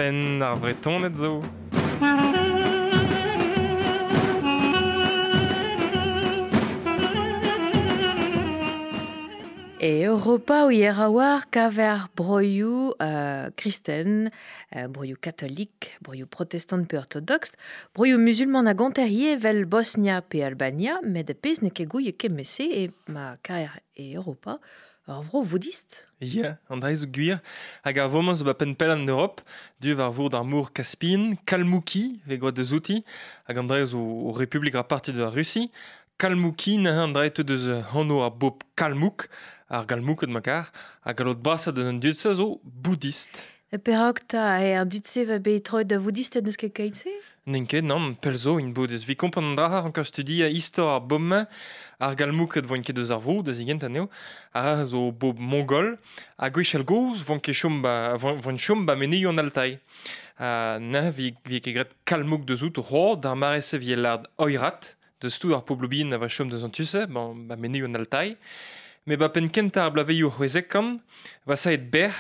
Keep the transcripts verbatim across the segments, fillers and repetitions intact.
Penn ar Vretoned zo. E Europa o hier a war kaver broioù euh, kristen, euh, broioù katolik, broioù protestant pe ortodox, broioù musulman a gonter vel Bosnia pe Albania, met pezh ne ket gouie kemese e ma kaer e Europa, ur vro voudist. Ya, an dra zo gwir, hag ar vomañ zo ba penn pell an Europe, du war vour d'ar mor Caspien, Kalmouki, ve gwad deus outi, hag an dra zo o Republik ar parti de la Russie, Kalmouki, neuze an dra eo deus anv ar bob Kalmouk, ar galmouked ma kar, hag al lot brasat deus an dud-se zo boudist. E perak ta e an dud-se va bet troet da voudist n'eus ket keit-se? N'en ket, nann, pell zo int boudist. Vi kompren an dra an studia istor ar bob-mañ, ar galmouked voint ket deus ar vro, da zigent anezho, ar zo bob mongol, ha gwechall gozh voint ket chom ba, voint chom ba menezioù an Altai. Uh, neuze vi, vi ket graet Kalmouk deus out ro, d'ar mare-se vi lard Oirat, deus tout ar pobloù bihan a va chom deus an tu-se, ban, ba menezioù an Altai. Me ba penn kentañ ar blavezhioù c'hwezek-kant, va saet berr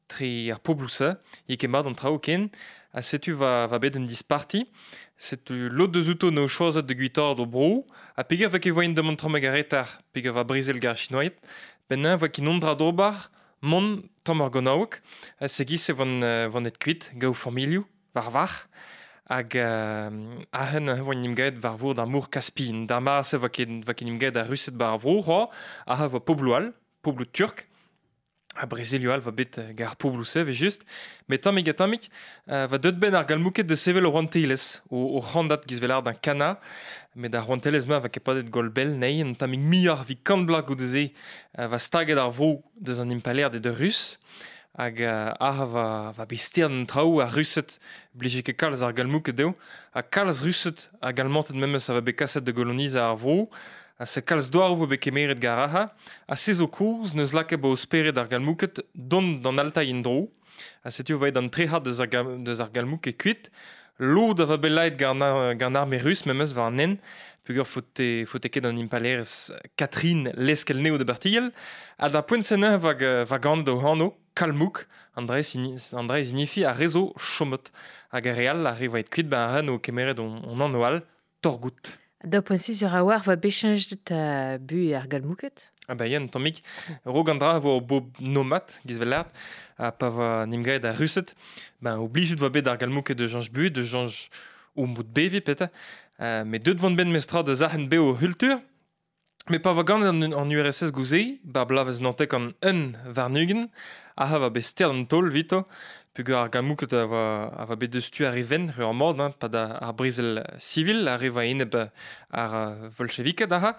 tre ar pobloù-se, ye ket mat an traoù ken, ha setu va, va bet un disparti, setu lod deus outo no choazet de guitard o bro, ha peger va ket voaint demont tramm hag ar retar, peger va brezel gar chinoiet, ben va ket non dra d'ober, mont tamm ar gonaoueg, ha segiz e van, van et kuit, gaou familhoù, war var, hag euh, ahen voa nim gaet war vour d'ar mor Caspien. D'ar mare-se va ket, va ket nim gaet ar Rused bar ar vro, c'hoa, aha va pobloù all, pobloù turk, ha brezelioù all va bet gar pobloù se, ve just, met tammig ha tammig, euh, va deut ben ar galmouket de sevel o rouantelezh, o, o c'handat giz velar d'un kana, met ar rouantelezh-ma va ket padet gol bell, nei, un tammig muioc'h vi kant bloaz goude-se, euh, va staget ar vro deus an impalaer de de Rus, hag uh, aha va, va bet stern an traoù ar Rused blije ket kalz ar galmouket dezho, ha kalz Rused hag Almanted memes a va bet kaset da golonizañ ar vro, ha se kalz douaroù vo bet kemeret gar aha, ha se zo kozh neus lakaet ba o spered ar galmouket dont d'an Altai en-dro, ha setu va an trec'had deus ar, deus ar galmouket kuit, lod a va bet laet gant ar arme rus memes war an hent, peogwir faote, faote ket an impalaerez Catherine leskel neo de Bartigel, ha da poent-se neuze va, va gant o anv Kalmouk, an dra e signifi ar re zo chomet, hag ar re all ar re va et kuit ba ar ren o kemeret on, on anv all, Torgout. Da poent-se sur a war va bechenjet uh, bu ar galmouket? Ah ba yen, tammig, rog an dra vo bob nomad, giz vel lart, ha pa va nim gaet ar Rused, ben oblijet va bet ar galmouket de janj bu, de janj o mout bevi peta, uh, met deut vant ben mestra de zahen be o hultur, met pa va gant an, an U R S S gouze, ba blavez nantek an un varnugen, aha va bet stern an taol vito, peogwir ar galmouket a va, a va bet deus tu ar even, ur mord, hein, pa da ar brezel civil, ar re va eneb ar bolcheviket aha,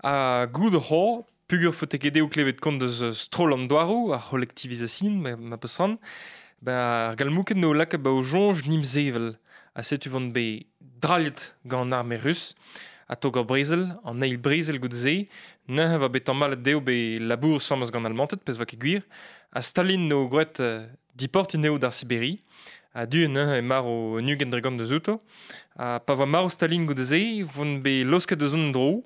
ha goud ho, peogwir faote ket dezho klevet kont deus stroll an douaroù, ar c'holektivizasion, ma, ma peus ran, ba ar galmouket no lakaet ba o soñj nim sevel, ha setu vant bet drallet gant an arme rus, a tog ar brezel, an eil brezel goude-se, neuze va bet tamallet dezho bet labour sammes gant Almanted, pezh va ket gwir, ha Stalin no gwraet uh, diport neo d'ar Siberi, ha du neuze e mar o nugen dregant deus outo, ha pa va marv Stalin goude-se, vont bet losket deus an dro,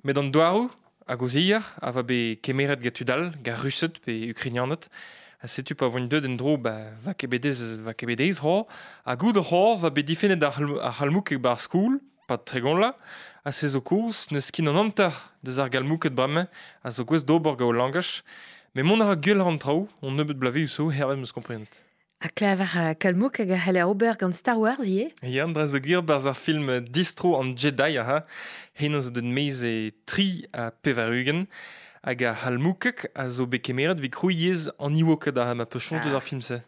met an douaroù hag o zier, a va bet kemeret gant tud all, gant Rused pe Ukrainianed, ha setu pa voint deut en dro, ba, va ket bet ez, va ket bet ez ho, ha goude ho va bet difennet ar, ar c'halmouk bar skoul, pa tregont la, ha se zo kozh, neus kin an hanter deus ar galmouket bremañ, a zo gouest d'ober gant o langaj, met mont a ra gwell an traoù, on nebeut blavezhioù zo, hervez 'm eus komprenet. Ha klaver uh, Kalmouk hag a c'heller ober gant Star Wars ivez? Ya, an dra zo gwir barzh ar film Distro an Jedi, aha, hennañ zo deut maez e tri ha pevar-ugent, hag ar c'halmoukek a zo bet kemeret evit krouiñ yezh an Ewoked aha, ma peus soñj deus ar film-se.